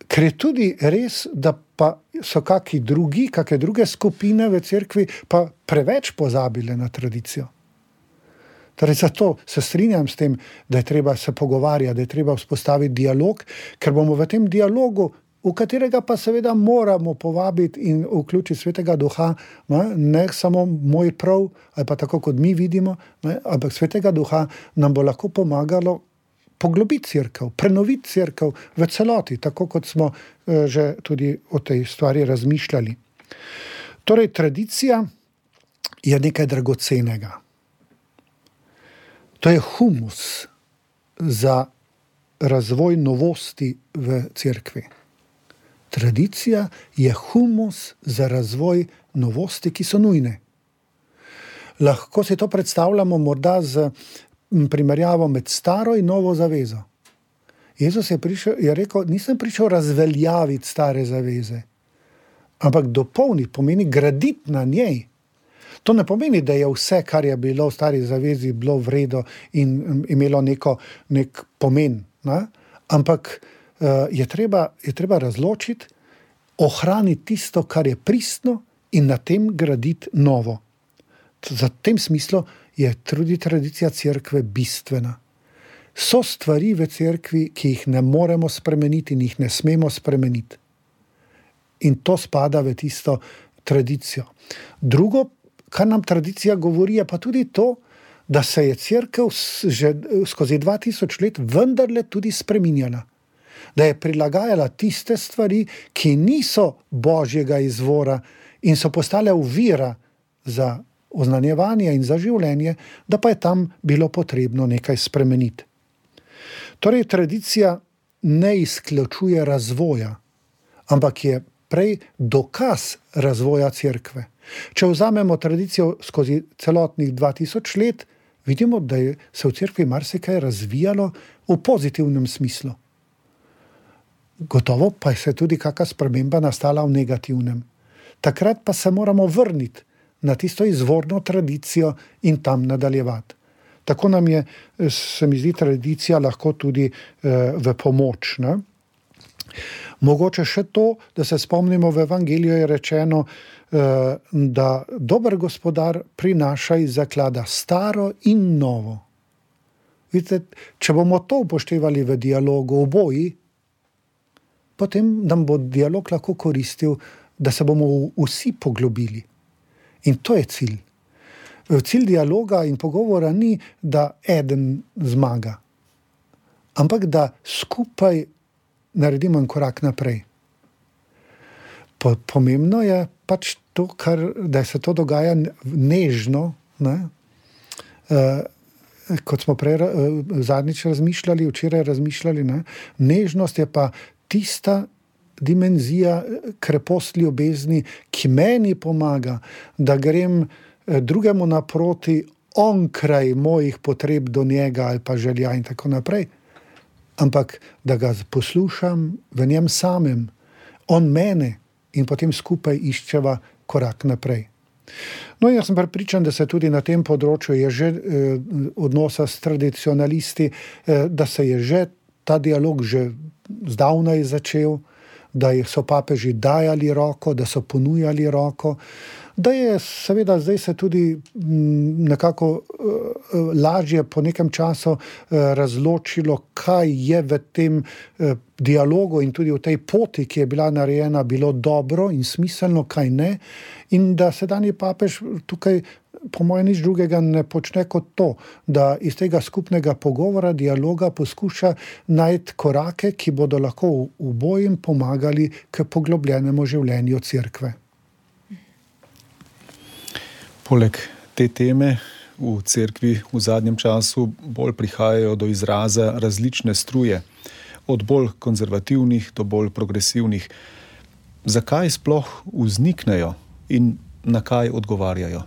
Speaker 3: Ker je tudi res, da pa so kaki drugi, kake druge skupine v cerkvi pa preveč pozabile na tradicijo. Torej, zato se strinjam s tem, da je treba se pogovarjati, da je treba vzpostaviti dialog, ker bomo v tem dialogu, v katerega pa seveda moramo povabiti in vključiti Svetega Duha, ne, ne samo moj prav, ali pa tako, kot mi vidimo, ne, ampak Svetega Duha nam bo lahko pomagalo poglobiti cerkev, prenoviti cerkev v celoti, tako kot smo eh, že tudi o tej stvari razmišljali. Torej, tradicija je nekaj dragocenega. To je humus za razvoj novosti v cerkvi. Tradicija je humus za razvoj novosti, ki so nujne. Lahko si to predstavljamo morda z primerjavo med staro in novo zavezo. Jezus je, prišel, je rekel, nisem prišel razveljaviti stare zaveze, ampak dopolniti, pomeni graditi na njej. To ne pomeni, da je vse, kar je bilo v stari zavezi, bilo vredo in imelo neko, nek pomen. Ne? Ampak uh, je, treba, je treba razločiti, ohraniti tisto, kar je pristno in na tem graditi novo. Za tem smislu je tudi tradicija cerkve bistvena. So stvari v cerkvi, ki jih ne moremo spremeniti in jih ne smemo spremeniti. In to spada v tisto tradicijo. Drugo, kar nam tradicija govori, je pa tudi to, da se je cerkev že skozi dva tisoč let vendarle tudi spreminjala. Da je prilagajala tiste stvari, ki niso božjega izvora in so postale ovira za oznanjevanje in za življenje, da pa je tam bilo potrebno nekaj spremeniti. Torej, tradicija ne izključuje razvoja, ampak je prej dokaz razvoja cerkve. Če vzamemo tradicijo skozi celotnih dva tisoč let, vidimo, da je se v cerkvi marsikaj razvijalo v pozitivnem smislu. Gotovo pa je se tudi kakšna sprememba nastala v negativnem. Takrat pa se moramo vrniti na tisto izvorno tradicijo in tam nadaljevati. Tako nam je, se mi zdi, tradicija lahko tudi eh, v pomoč. Ne? Mogoče še to, da se spomnimo, v evangeliju je rečeno, eh, da dober gospodar prinaša iz zaklada staro in novo. Vidite, če bomo to upoštevali v dialogu oboji, potem nam bo dialog lahko koristil, da se bomo vsi poglobili. In to je cilj. Cilj dialoga in pogovora ni, da eden zmaga, ampak da skupaj naredimo en korak naprej. Pomembno je pač to, kar, da se to dogaja nežno, ne? Uh, kot smo prej uh, zadnjič razmišljali, včeraj razmišljali, ne? Nežnost je pa tista dimenzija krepost ljubezni, ki meni pomaga, da grem drugemu naproti onkraj mojih potreb do njega ali pa želja in tako naprej. Ampak da ga poslušam v njem samem, on mene, in potem skupaj iščeva korak naprej. No, jaz sem prepričan, da se tudi na tem področju je že eh, odnosa s tradicionalisti, eh, da se je že ta dialog že zdavnaj začel, da so papeži dajali roko, da so ponujali roko, da je seveda zdaj se tudi m, nekako uh, lažje po nekem času uh, razločilo, kaj je v tem uh, dialogu in tudi v tej poti, ki je bila narejena, bilo dobro in smiselno, kaj ne. In da sedanji papež tukaj po mojem nič drugega ne počne kot to, da iz tega skupnega pogovora, dialoga poskuša najti korake, ki bodo lahko obojim pomagali k poglobljenemu življenju cerkve.
Speaker 4: Poleg te teme v cerkvi v zadnjem času bolj prihajajo do izraza različne struje, od bolj konzervativnih do bolj progresivnih. Zakaj sploh vzniknejo in na kaj odgovarjajo?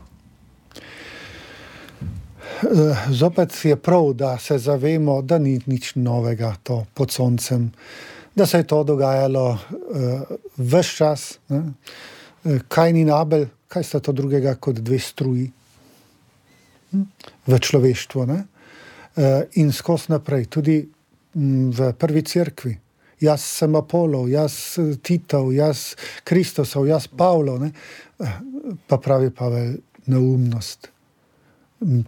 Speaker 3: Zopet je prav, da se zavemo, da ni nič novega to pod soncem, da se je to dogajalo uh, ves čas. Ne? Kain in Abel, kaj sta to drugega kot dve struji v človeštvu, ne? Uh, in skozi naprej, tudi m, v prvi cerkvi. Jaz sem Apolov, jaz Titov, jaz Kristosov, jaz Pavlov, ne? Pa pravi Pavel, neumnost.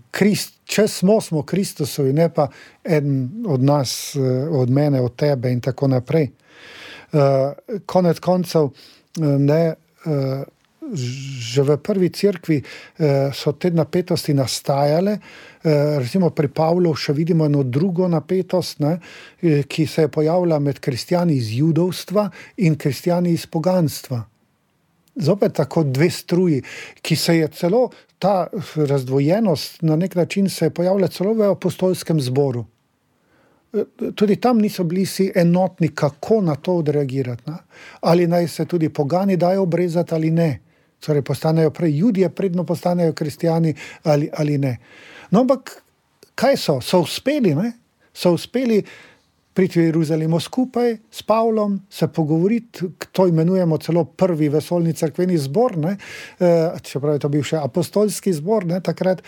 Speaker 3: Krist, če smo, smo Kristusovi, ne pa eden od nas, od mene, od tebe in tako naprej. Uh, konec koncev, ne, uh, že v prvi cerkvi uh, so te napetosti nastajale, uh, recimo pri Pavlu še vidimo eno drugo napetost, ne, ki se je pojavila med kristjani iz judovstva in kristjani iz poganstva. Zopet tako dve struji, ki se je celo ta razdvojenost na nek način se je pojavila celo v apostolskem zboru. Tudi tam niso bili si enotni, kako na to odreagirati. Ne? Ali naj se tudi pogani dajo obrezati ali ne. Torej postanejo prej Judje, predno postanejo kristjani ali, ali ne. No, ampak kaj so? So uspeli, ne? So uspeli priti v Jeruzalemu skupaj s Pavlom, se pogovoriti, to imenujemo celo prvi vesoljni cerkveni zbor, ne? E, čeprav je to bil še apostolski zbor, ne, takrat,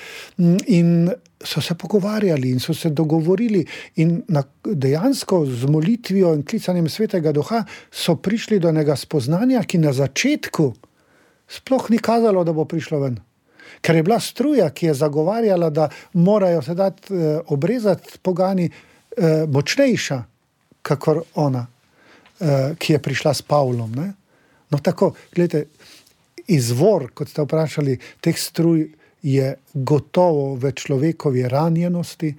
Speaker 3: in so se pogovarjali in so se dogovorili in na, dejansko z molitvijo in klicanjem Svetega Duha so prišli do enega spoznanja, ki na začetku sploh ni kazalo, da bo prišlo ven. Ker je bila struja, ki je zagovarjala, da morajo se dati e, obrezati pogani, Uh, močnejša, kakor ona, uh, ki je prišla s Pavlom. Ne? No tako, gledajte, izvor, kot ste vprašali, teh struj je gotovo v človekovi ranjenosti,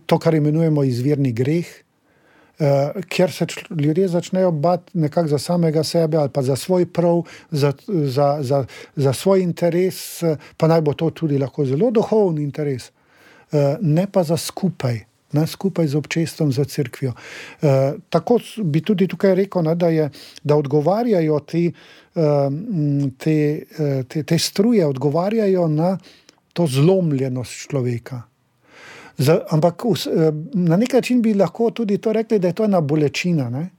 Speaker 3: to, kar imenujemo izvirni greh, uh, kjer se čl- ljudje začnejo bati nekako za samega sebe ali pa za svoj prav, za, za, za, za svoj interes, pa naj bo to tudi lahko zelo duhovni interes, uh, ne pa za skupaj. Ne, skupaj z občestvom, za cerkvijo. E, tako bi tudi tukaj rekel, ne, da, je, da odgovarjajo te, te, te, te struje, odgovarjajo na to zlomljenost človeka. Za, ampak na nek način bi lahko tudi to rekli, da je to ena bolečina. Ne?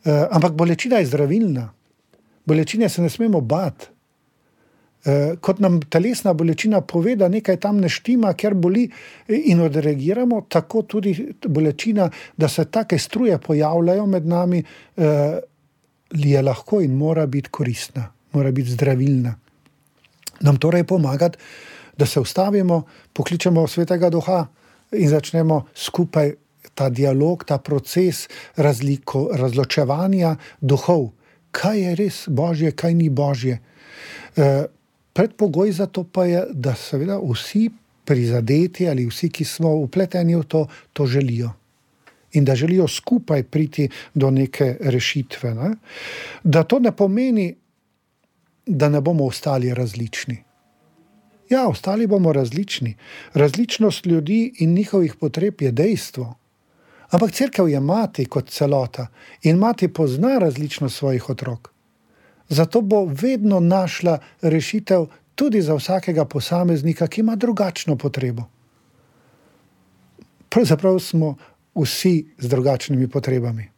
Speaker 3: E, ampak bolečina je zdravilna. Bolečine se ne smemo bati. Kot nam telesna bolečina pove, da nekaj tam ne štima, ker boli in odreagiramo, tako tudi bolečina, da se take struje pojavljajo med nami, je lahko in mora biti koristna, mora biti zdravilna. Nam torej pomagati, da se ustavimo, pokličemo Svetega Duha in začnemo skupaj ta dialog, ta proces razliko, razločevanja duhov. Kaj je res Božje, kaj ni Božje. Uh, predpogoj za to pa je, da seveda vsi prizadeti ali vsi, ki smo vpleteni v to, to želijo. In da želijo skupaj priti do neke rešitve. Ne? Da to ne pomeni, da ne bomo ostali različni. Ja, ostali bomo različni. Različnost ljudi in njihovih potreb je dejstvo. Ampak cerkev je mati kot celota in mati pozna različnost svojih otrok. Zato bo vedno našla rešitev tudi za vsakega posameznika, ki ima drugačno potrebo. Pravzaprav smo vsi z drugačnimi potrebami.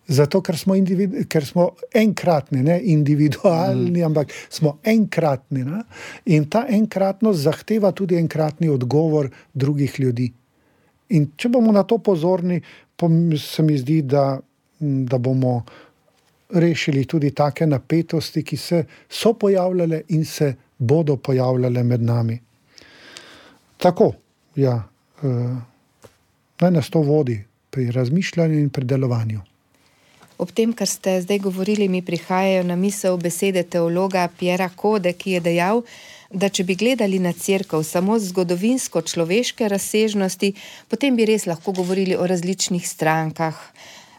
Speaker 3: Zato, ker smo, individu, ker smo enkratni, ne individualni, mm. ampak smo enkratni. Ne? In ta enkratnost zahteva tudi enkratni odgovor drugih ljudi. In če bomo na to pozorni, se mi zdi, da, da bomo rešili tudi take napetosti, ki se so pojavljale in se bodo pojavljale med nami. Tako, ja, uh, naj nas to vodi pri razmišljanju in pri delovanju.
Speaker 2: Ob tem, kar ste zdaj govorili, mi prihajajo na misel besede teologa Piera Code, ki je dejal, da če bi gledali na cerkev samo z zgodovinsko človeške razsežnosti, potem bi res lahko govorili o različnih strankah.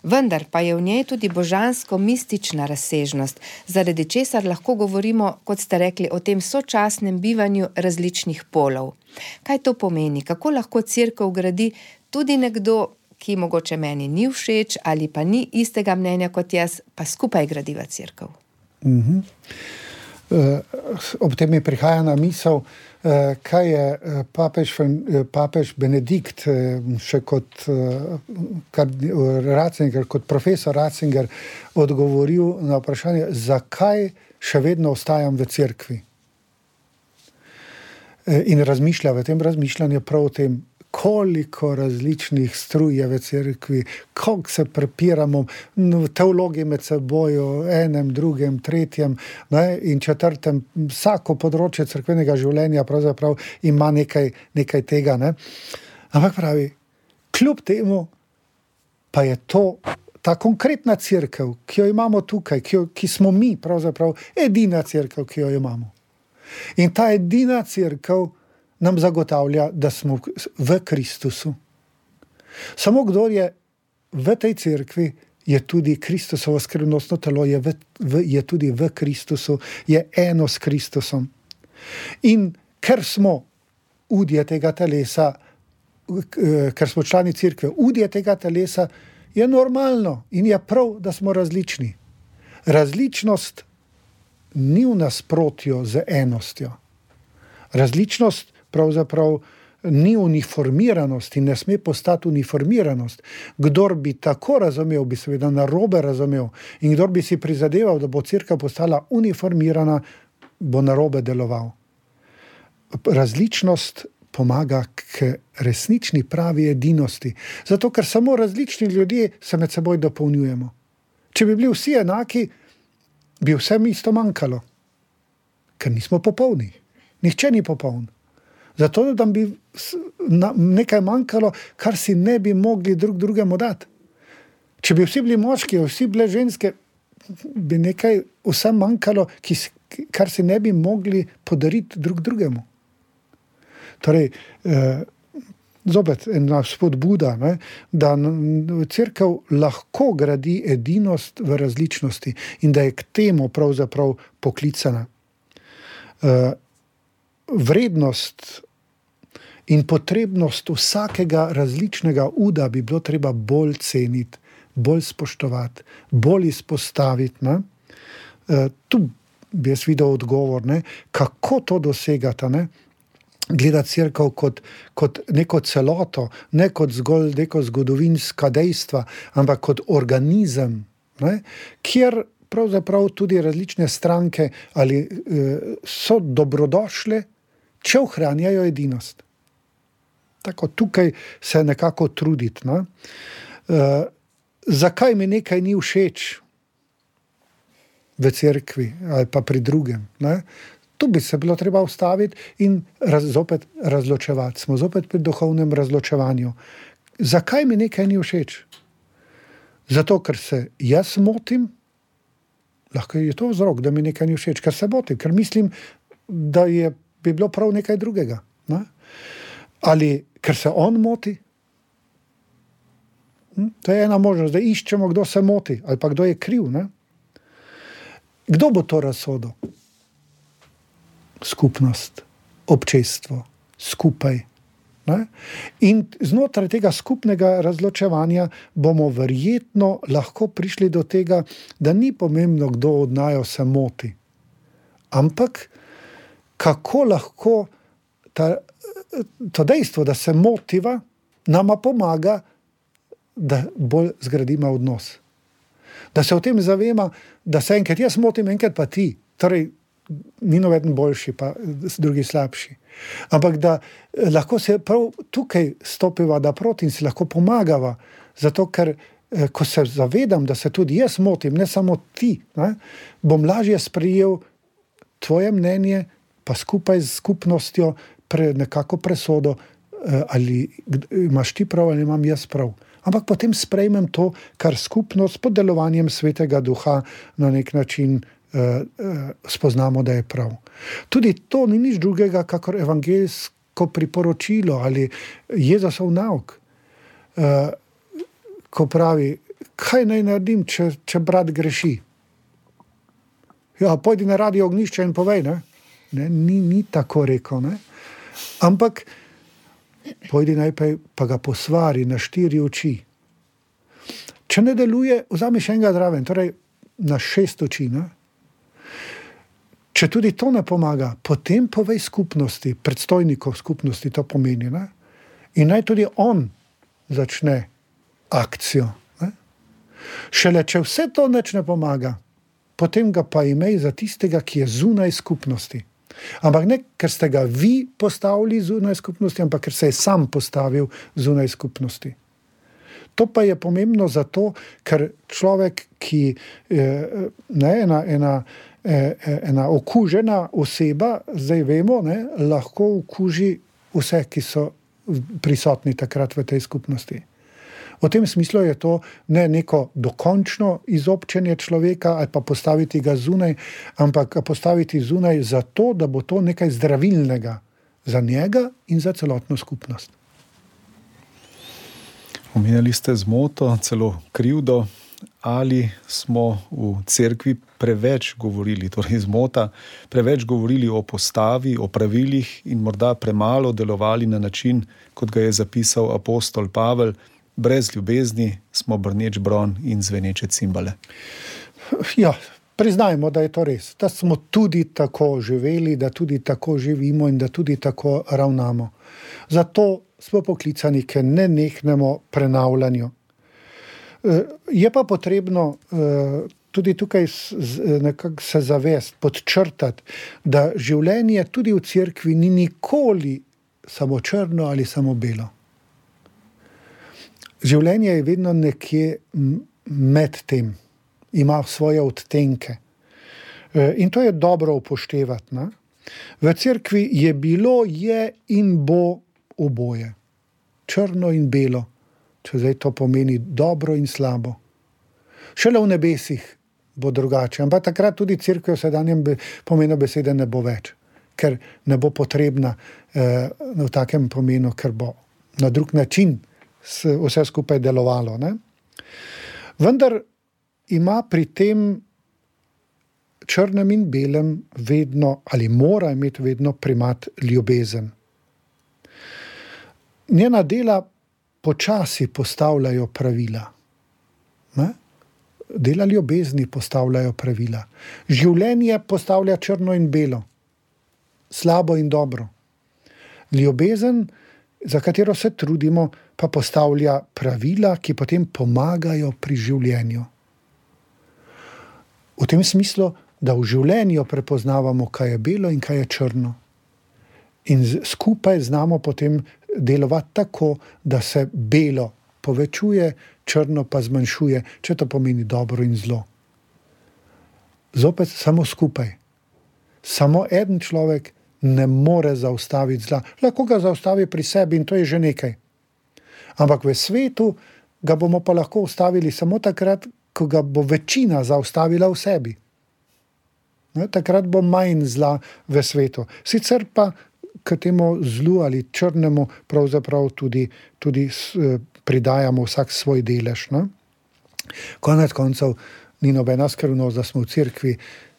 Speaker 2: Vendar pa je v njej tudi božansko-mistična razsežnost, zaradi česar lahko govorimo, kot ste rekli, o tem sočasnem bivanju različnih polov. Kaj to pomeni? Kako lahko cerkev gradi tudi nekdo, ki mogoče meni ni všeč ali pa ni istega mnenja kot jaz, pa skupaj gradiva cerkev?
Speaker 3: Mm-hmm. Ob tem mi prihaja na misel, kaj je papež, papež Benedikt še kot, Ratzinger, kot profesor Ratzinger odgovoril na vprašanje, zakaj še vedno ostajam v cerkvi. In razmišlja v tem razmišljanju prav o tem, koliko različnih struj je v cerkvi, koliko se prepiramo, teologi med seboj, enem, drugem, tretjem, ne, in četrtem, vsako področje cerkvenega življenja pravzaprav ima nekaj, nekaj tega. Ne. Ampak pravi, kljub temu pa je to ta konkretna cerkev, ki jo imamo tukaj, ki, jo, ki smo mi pravzaprav edina cerkev, ki jo imamo. In ta edina cerkev nam zagotavlja, da smo v Kristusu. Samo kdor je v tej cerkvi, je tudi Kristusovo skrivnostno telo, je, v, v, je tudi v Kristusu, je eno s Kristusom. In ker smo udje tega telesa, ker smo člani cerkve, udje tega telesa, je normalno in je prav, da smo različni. Različnost ni v nasprotju z enostjo. Različnost pravzaprav ni uniformiranost in ne sme postati uniformiranost. Kdor bi tako razumel, bi seveda narobe razumel. In kdor bi si prizadeval, da bo cerkev postala uniformirana, bo narobe deloval. Različnost pomaga k resnični pravi edinosti. Zato, ker samo različni ljudje se med seboj dopolnjujemo. Če bi bili vsi enaki, bi vsem isto manjkalo. Ker nismo popolni. Nihče ni popoln. Zato, da bi nekaj manjkalo, kar si ne bi mogli drug drugemu dati. Če bi vsi bili moški, vsi bile ženske, bi nekaj vsem manjkalo, ki, kar si ne bi mogli podariti drug drugemu. Torej, eh, zopet ena spodbuda, ne, da cerkev lahko gradi edinost v različnosti in da je k temu pravzaprav poklicana. Eh, vrednost in potrebnost vsakega različnega uda bi bilo treba bolj ceniti, bolj spoštovati, bolj izpostaviti. Ne? E, tu bi jaz videl odgovor, ne? Kako to dosegata, ne? Gledati cerkev kot, kot neko celoto, ne kot zgolj neko zgodovinska dejstva, ampak kot organizem, ne? Kjer pravzaprav tudi različne stranke ali e, so dobrodošle, če ohranjajo edinost. Tako tukaj se nekako truditi. Ne? Uh, zakaj mi nekaj ni všeč v cerkvi ali pa pri drugem? Ne? Tu bi se bilo treba ustaviti in raz, zopet razločevati. Smo zopet pri duhovnem razločevanju. zakaj mi nekaj ni všeč? Zato, ker se jaz motim, lahko je to vzrok, da mi nekaj ni všeč, ker se motim, ker mislim, da je, bi bilo prav nekaj drugega. Ne? Ali ker se on moti? Hm? To je ena možnost, da iščemo, kdo se moti, ali pa kdo je kriv. Ne? Kdo bo to razsodil? Skupnost, občestvo, skupaj. Ne? In znotraj tega skupnega razločevanja bomo verjetno lahko prišli do tega, da ni pomembno, kdo od naju se moti. Ampak kako lahko ta, to dejstvo, da se motiva, nama pomaga, da bolj zgradimo odnos. Da se o tem zavema, da se enkrat jaz motim, enkrat pa ti. Torej, ni noveden boljši, pa drugi slabši. Ampak da lahko se prav tukaj stopiva naproti in si lahko pomagava, zato ker ko se zavedam, da se tudi jaz motim, ne samo ti, ne, bom lažje sprejel tvoje mnenje, pa skupaj z skupnostjo pre, nekako presodo, ali imaš ti prav ali imam jaz prav. Ampak potem sprejmem to, kar skupnost pod delovanjem Svetega Duha na nek način Uh, uh, spoznamo, da je prav. Tudi to ni nič drugega, kakor evangeljsko priporočilo ali Jezusov nauk. Uh, ko pravi, kaj naj naredim, če, če brat greši? Ja, pojdi na radio ognjišče in povej, ne? Ne, ni, ni tako rekel, ne? Ampak pojdi najprej, pa ga posvari na štiri oči. Če ne deluje, vzami še enega zraven, torej na šest oči, ne? Če tudi to ne pomaga, potem povej skupnosti, predstojnikov skupnosti to pomeni. Ne? In naj tudi on začne akcijo. Ne? Šele če vse to nič ne pomaga, potem ga pa imej za tistega, ki je zunaj skupnosti. Ampak ne, ker ste ga vi postavili zunaj skupnosti, ampak ker se je sam postavil zunaj skupnosti. To pa je pomembno zato, ker človek, ki ne, ena, ena, ena okužena oseba, zdaj vemo, ne, lahko okuži vse, ki so prisotni takrat v tej skupnosti. V tem smislu je to ne neko dokončno izobčenje človeka ali pa postaviti ga zunaj, ampak postaviti zunaj zato, da bo to nekaj zdravilnega za njega in za celotno skupnost.
Speaker 4: Omenjali ste zmoto, celo krivdo, ali smo v cerkvi preveč govorili, torej zmota, preveč govorili o postavi, o pravilih in morda premalo delovali na način, kot ga je zapisal apostol Pavel, brez ljubezni smo brneč bron in zveneče cimbale.
Speaker 3: Ja, priznajmo, da je to res, da smo tudi tako živeli, da tudi tako živimo in da tudi tako ravnamo. Zato smo poklicani k nenehnemu prenavljanju. Je pa potrebno tudi tukaj nekako se zavest, podčrtati, da življenje tudi v cerkvi ni nikoli samo črno ali samo belo. Življenje je vedno nekje med tem, ima svoje odtenke. In to je dobro upoštevati. Ne? V cerkvi je bilo, je in bo oboje. Črno in belo, če zdaj to pomeni dobro in slabo. Šele v nebesih bo drugače, ampak takrat tudi cerkev v sedanjem pomenu besede ne bo več, ker ne bo potrebna eh, v takem pomenu, ker bo na drug način vse skupaj delovalo. Ne? Vendar ima pri tem črnem in belem vedno, ali mora imeti vedno primat ljubezen. Njena dela počasi postavljajo pravila. Ne? Dela ljubezni postavljajo pravila. Življenje postavlja črno in belo, slabo in dobro. Ljubezen, za katero se trudimo, pa postavlja pravila, ki potem pomagajo pri življenju. V tem smislu, da v življenju prepoznavamo, kaj je belo in kaj je črno. In skupaj znamo potem delovati tako, da se belo povečuje, črno pa zmanjšuje, če to pomeni dobro in zlo. Zopet samo skupaj. Samo eden človek ne more zaustaviti zla. Lahko ga zaustavi pri sebi in to je že nekaj. Ampak v svetu ga bomo pa lahko ustavili samo takrat, ko ga bo večina zaustavila v sebi. Ne, takrat bo manj zla v svetu. Sicer pa k temu zlu ali črnemu pravzaprav tudi, tudi pridajamo vsak svoj delež. Ne? Konec koncev ni nobena skrivnost, da smo v cerkvi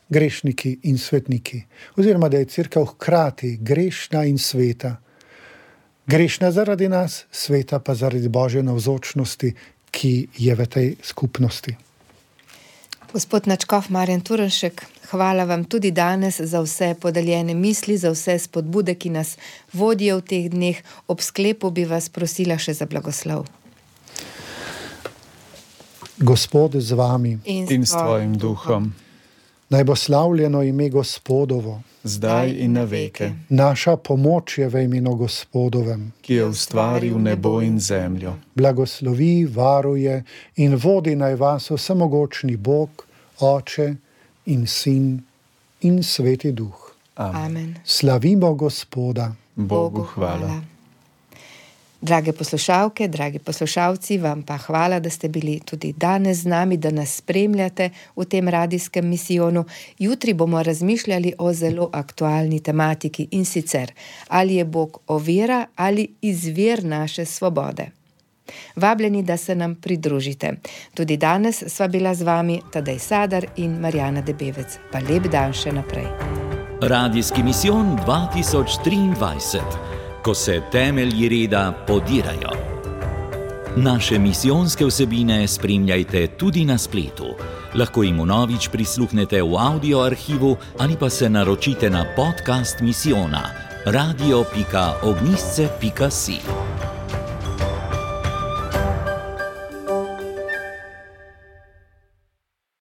Speaker 3: grešniki in svetniki. Oziroma, da je cerkev hkrati grešna in sveta. Grešna zaradi nas, sveta pa zaradi Božje navzočnosti, ki je v tej skupnosti.
Speaker 2: Gospod nadškof Marjan Turnšek, hvala vam tudi danes za vse podeljene misli, za vse spodbude, ki nas vodijo v teh dneh. Ob sklepu bi vas prosila še za blagoslov.
Speaker 3: Gospod z vami
Speaker 2: In
Speaker 4: In s tvojim duhom,
Speaker 3: naj bo slavljeno ime Gospodovo.
Speaker 4: zdaj in na veke,
Speaker 3: Naša pomoč je v imenu Gospodovem.
Speaker 4: ki je ustvaril nebo in zemljo.
Speaker 3: Blagoslovi, varuje in vodi naj vas vsemogočni Bog, Oče in Sin in Sveti Duh.
Speaker 4: Amen.
Speaker 2: Amen.
Speaker 3: Slavimo Gospoda.
Speaker 4: Bogu hvala.
Speaker 2: Drage poslušalke, dragi poslušalci, vam pa hvala, da ste bili tudi danes z nami, da nas spremljate v tem radijskem misijonu. Jutri bomo razmišljali o zelo aktualni tematiki in sicer, ali je Bog ovira ali izvir naše svobode. Vabljeni, da se nam pridružite. Tudi danes sva bila z vami Tadej Sadar in Marjana Debevec. Pa lep dan še naprej.
Speaker 1: Radijski misijon dva tisoč triindvajset. Ko se temelji reda podirajo. Naše misijonske vsebine spremljajte tudi na spletu. Lahko jim vnovič prisluhnete v audio arhivu ali pa se naročite na podcast misijona radio pika ognjišče pika si.